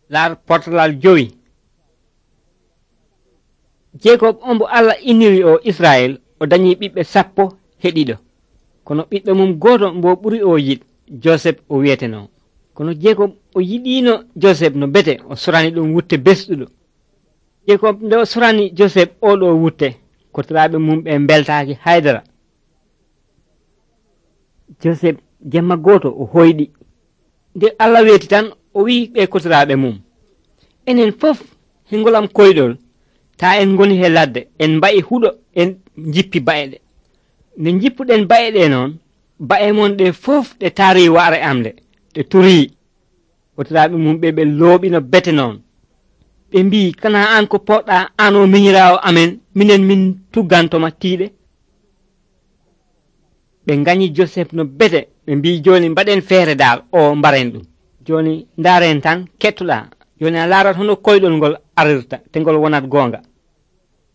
laar portalal 5. Jekob ombo Allah iniri o Israel o dañi ɓiɓɓe 10 kono ɓiɗɗo mum goto mbo ɓuri o yiɗ Joseph o wiyeteno. Kono Jekob o yiɗino Joseph no bete o sorani ɗum wutte besɗuɗo. Jekob nde o sorani Joseph oɗo wutte kotiraɓe mum ɓe beltaki haydara. Joseph jemma goto o hoyɗi nde Allah weeti tan o wi ɓe kotiraɓe mum, enen fof hingolam koyɗol ta en goni he ladde en mba'i huɗo en jippi ba'e ɗe. Nde jippuɗen ba'e ɗe noon ba'e mon ɗe fof ɗe taari wa'are am ɗe ɗe turi. Kotiraɓe mum ɓe looɓino bete noon ɓe mbi kana an ko poɗɗa an o miñirawo amen minen min tuggantoma tiiɗe. Ɓe gañi Joseph no bete ɓe mbi joni mbaɗen feere dal o mbaren ɗum, joni ndaren tan kettoɗa, joni a laarat hono koyɗol ngol arirta te ngol wonat gonga.